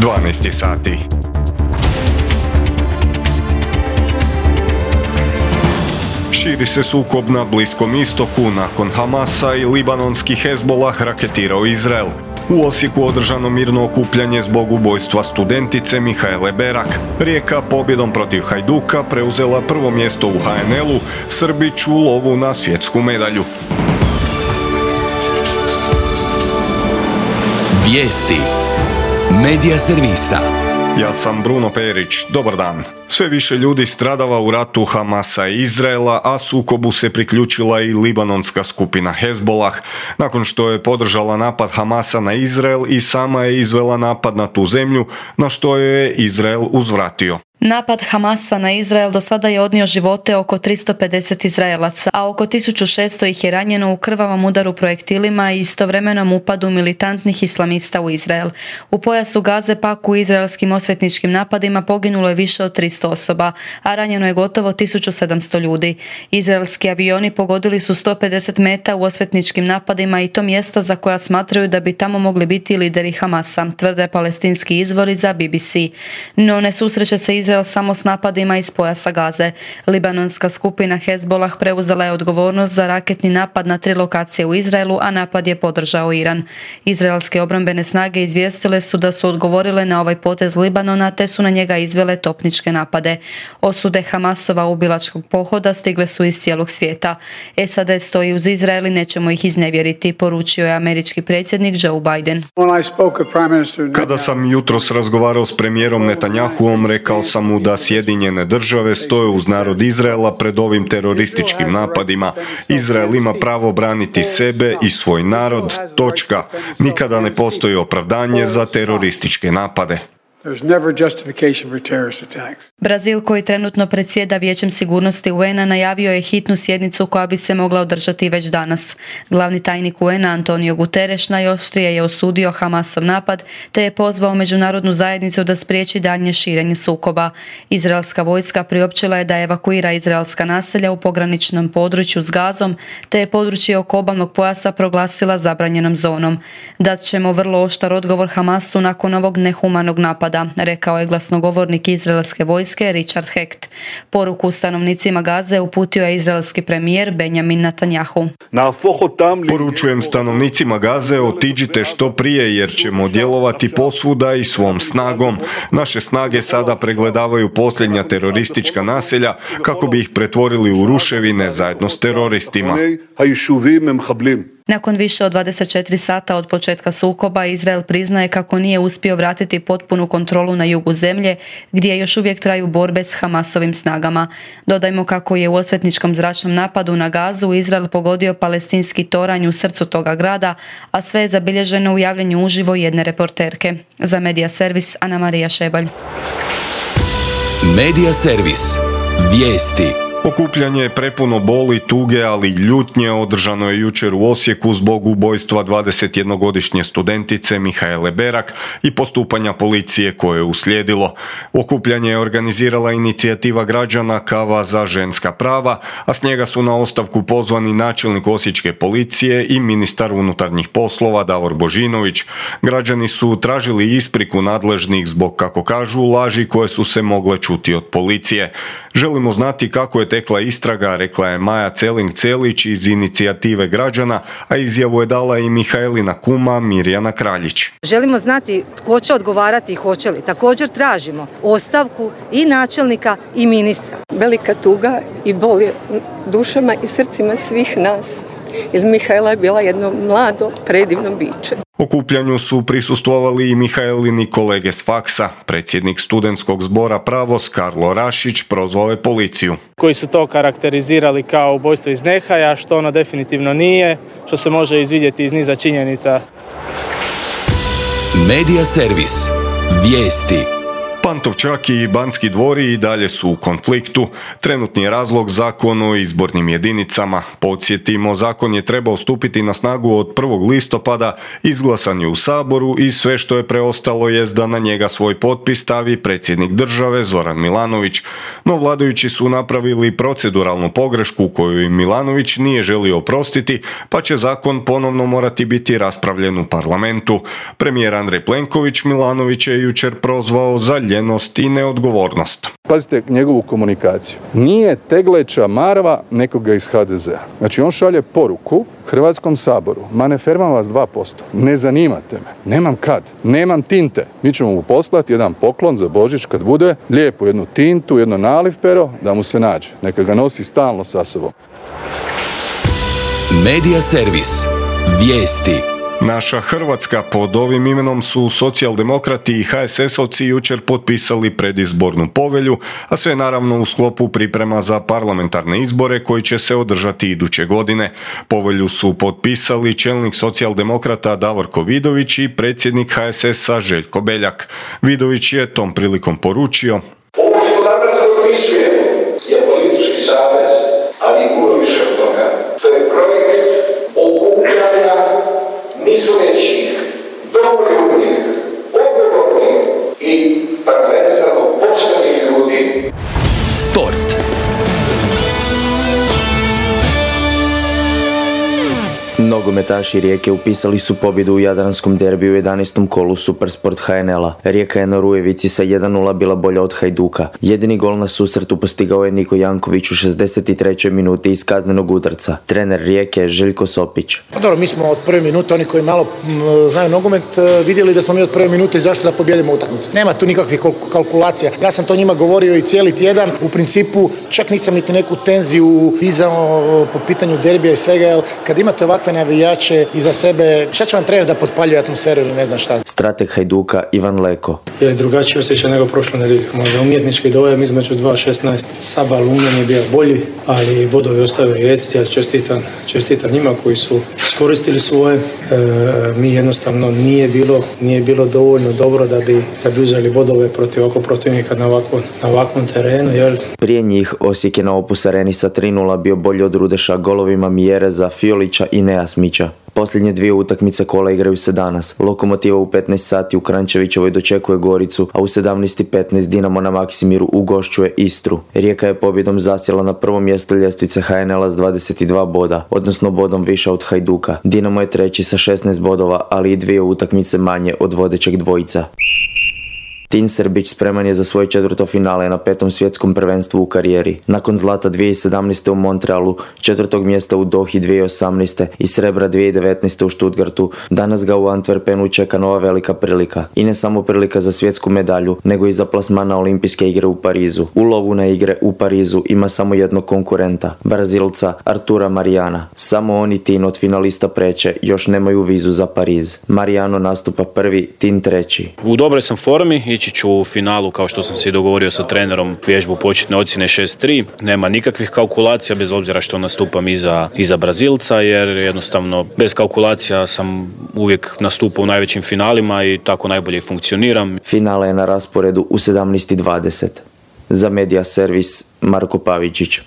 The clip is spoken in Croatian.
12 sati. Širi se sukob na Bliskom istoku nakon Hamasa i libanonski Hezbolah raketirao Izrael. U Osijeku održano mirno okupljanje zbog ubojstva studentice Mihaele Berak. Rijeka pobjedom protiv Hajduka preuzela prvo mjesto u HNL-u, Srbić u lovu na svjetsku medalju. Vijesti Medija servisa. Ja sam Bruno Perić, dobar dan. Sve više ljudi stradava u ratu Hamasa i Izraela, a sukobu se priključila i libanonska skupina Hezbolah. Nakon što je podržala napad Hamasa na Izrael i sama je izvela napad na tu zemlju, na što je Izrael uzvratio. Napad Hamasa na Izrael do sada je odnio živote oko 350 Izraelaca, a oko 1600 ih je ranjeno u krvavom udaru projektilima i istovremenom upadu militantnih islamista u Izrael. U pojasu Gaze pak u izraelskim osvetničkim napadima poginulo je više od 300 osoba, a ranjeno je gotovo 1700 ljudi. Izraelski avioni pogodili su 150 meta u osvetničkim napadima i to mjesta za koja smatraju da bi tamo mogli biti lideri Hamasa, tvrde palestinski izvori za BBC. No ne susreće se Izrael samo s napadima iz pojasa Gaze. Libanonska skupina Hezbolah preuzela je odgovornost za raketni napad na 3 lokacije u Izraelu, a napad je podržao Iran. Izraelske obrambene snage izvijestile su da su odgovorile na ovaj potez Libanona te su na njega izvele topničke napade. Osude Hamasova ubilačkog pohoda stigle su iz cijelog svijeta. SAD stoji uz Izrael i nećemo ih iznevjeriti, poručio je američki predsjednik Joe Biden. Kada sam jutros razgovarao s premijerom Netanjahuom, rekao sam mu da Sjedinjene države stoje uz narod Izraela pred ovim terorističkim napadima. Izrael ima pravo braniti sebe i svoj narod. Točka. Nikada ne postoji opravdanje za terorističke napade. Brazil, koji trenutno predsjeda Vijećem sigurnosti UN-a, najavio je hitnu sjednicu koja bi se mogla održati već danas. Glavni tajnik UN-a Antonio Guterres najoštrije je osudio Hamasov napad te je pozvao međunarodnu zajednicu da spriječi daljnje širenje sukoba. Izraelska vojska priopćila je da evakuira izraelska naselja u pograničnom području s Gazom te je područje oko obalnog pojasa proglasila zabranjenom zonom. Dat ćemo vrlo oštar odgovor Hamasu nakon ovog nehumanog napada, rekao je glasnogovornik izraelske vojske Richard Hecht. Poruku stanovnicima Gaze uputio je izraelski premijer Benjamin Netanjahu. Poručujem stanovnicima Gaze, otiđite što prije jer ćemo djelovati posvuda i svom snagom. Naše snage sada pregledavaju posljednja teroristička naselja kako bi ih pretvorili u ruševine zajedno s teroristima. Nakon više od 24 sata od početka sukoba, Izrael priznaje kako nije uspio vratiti potpunu kontrolu na jugu zemlje, gdje još uvijek traju borbe s Hamasovim snagama. Dodajmo kako je u osvetničkom zračnom napadu na Gazu Izrael pogodio palestinski toranj u srcu toga grada, a sve je zabilježeno u javljanju uživo jedne reporterke. Za Medija servis Ana Marija Šebalj. Medija servis. Vijesti. Okupljanje je prepuno boli, tuge, ali i ljutnje održano je jučer u Osijeku zbog ubojstva 21-godišnje studentice Mihaele Berak i postupanja policije koje je uslijedilo. Okupljanje je organizirala inicijativa građana Kava za ženska prava, a s njega su na ostavku pozvani načelnik osječke policije i ministar unutarnjih poslova Davor Božinović. Građani su tražili ispriku nadležnih zbog, kako kažu, laži koje su se mogle čuti od policije. Želimo znati kako je tekla istraga, rekla je Maja Celing-Celić iz inicijative građana, a izjavu je dala i Mihaelina kuma Mirjana Kraljić. Želimo znati tko će odgovarati i hoće li. Također tražimo ostavku i načelnika i ministra. Velika tuga i bol je dušama i srcima svih nas, jer Mihaela je bila jedno mlado, predivno biće. Okupljanju su prisustvovali i Mihaelini kolege s faksa. Predsjednik studentskog zbora Pravos Karlo Rašić prozvao je policiju. Koji su to karakterizirali kao ubojstvo iz nehaja, što ono definitivno nije, što se može izvidjeti iz niza činjenica. Medija servis. Vijesti. Pantovčak i Banski dvori i dalje su u konfliktu. Trenutni je razlog Zakon o izbornim jedinicama. Podsjetimo, zakon je trebao stupiti na snagu od 1. listopada, izglasan je u Saboru i sve što je preostalo jest da na njega svoj potpis stavi predsjednik države Zoran Milanović. No vladajući su napravili proceduralnu pogrešku koju im Milanović nije želio oprostiti, pa će zakon ponovno morati biti raspravljen u parlamentu. Premijer Andrej Plenković Milanović je jučer prozvao za ljenost i neodgovornost. Pazite njegovu komunikaciju. Nije tegleća marva nekoga iz HDZ-a. Znači on šalje poruku Hrvatskom saboru. Ma ne fermam vas 2%. Ne zanimate me. Nemam kad. Nemam tinte. Mi ćemo mu poslati jedan poklon za Božić kad bude. Lijepo jednu tintu, jedno naliv pero da mu se nađe. Neka ga nosi stalno sa sobom. Medija servis. Vijesti. Naša Hrvatska, pod ovim imenom su socijaldemokrati i HSS-ovci jučer potpisali predizbornu povelju, a sve naravno u sklopu priprema za parlamentarne izbore koji će se održati iduće godine. Povelju su potpisali čelnik socijaldemokrata Davorko Vidović i predsjednik HSS-a Željko Beljak. Vidović je tom prilikom poručio: ovo što danas potpisujemo je politički savez, ali puno više od toga. To je projekt okupljanja mislećih, domoljubnih, odgovornih i prvenstveno poštenih ljudi. Sport. Nogometaši Rijeke upisali su pobjedu u jadranskom derbiju u 11. kolu Supersport HNL-a. Rijeka je na Rujevici sa 1:0 bila bolja od Hajduka. Jedini gol na susretu postigao je Niko Janković u 63. minuti iz kaznenog udarca. Trener Rijeke Željko Sopić. Pa dobro, mi smo od prve minute, oni koji malo znaju nogomet, vidjeli da smo mi od prve minute zašto da pobjedimo utakmicu. Nema tu nikakvih kalkulacija. Ja sam to njima govorio i cijeli tjedan. U principu čak nisam niti neku tenziju dizao po pitanju derbija i svega, jer kad imate ovakve navijače iza sebe, šta će vam trener da potpaljuje atmosferu ili ne znam šta. Strateg Hajduka Ivan Leko. Je drugačiji osjećaj nego prošle nedjelje. Možda umjetnički dojam između 2.16. Saba Lunjan je bio bolji, ali bodovi ostaju Rijeci. Ja čestitam njima koji su iskoristili svoje. Mi jednostavno nije bilo dovoljno dobro da bi uzeli bodove protiv ovakvog protivnika na ovakvom terenu. Jer... Prije njih Osijek je na Opus Areni sa 3:0 bio bolji od Rudeša golovima Mjereza, Fiolića i Neja Smića. Posljednje dvije utakmice kola igraju se danas. Lokomotiva u 15 sati u Kranjčevićevoj dočekuje Goricu, a u 17:15 Dinamo na Maksimiru ugošćuje Istru. Rijeka je pobjedom zasjela na prvo mjesto ljestvice HNL-a s 22 boda, odnosno bodom više od Hajduka. Dinamo je treći sa 16 bodova, ali i dvije utakmice manje od vodećeg dvojica. Tin Srbić spreman je za svoje četvrto finale na 5. svjetskom prvenstvu u karijeri. Nakon zlata 2017. u Montrealu, 4. mjesta u Dohi 2018. i srebra 2019. u Stuttgartu, danas ga u Antwerpenu čeka nova velika prilika. I ne samo prilika za svjetsku medalju, nego i za plasman na olimpijske igre u Parizu. U lovu na igre u Parizu ima samo jednog konkurenta, Brazilca Artura Mariana. Samo on i Tin od finalista preće još nemaju vizu za Pariz. Mariano nastupa prvi, Tin treći. U dobroj sam formi, ići ću u finalu kao što sam se dogovorio sa trenerom, vježbu početne ocjene 6-3. Nema nikakvih kalkulacija bez obzira što nastupam iza Brazilca, jer jednostavno bez kalkulacija sam uvijek nastupao u najvećim finalima i tako najbolje funkcioniram. Finale je na rasporedu u 17:20. Za Medija servis Marko Pavičić.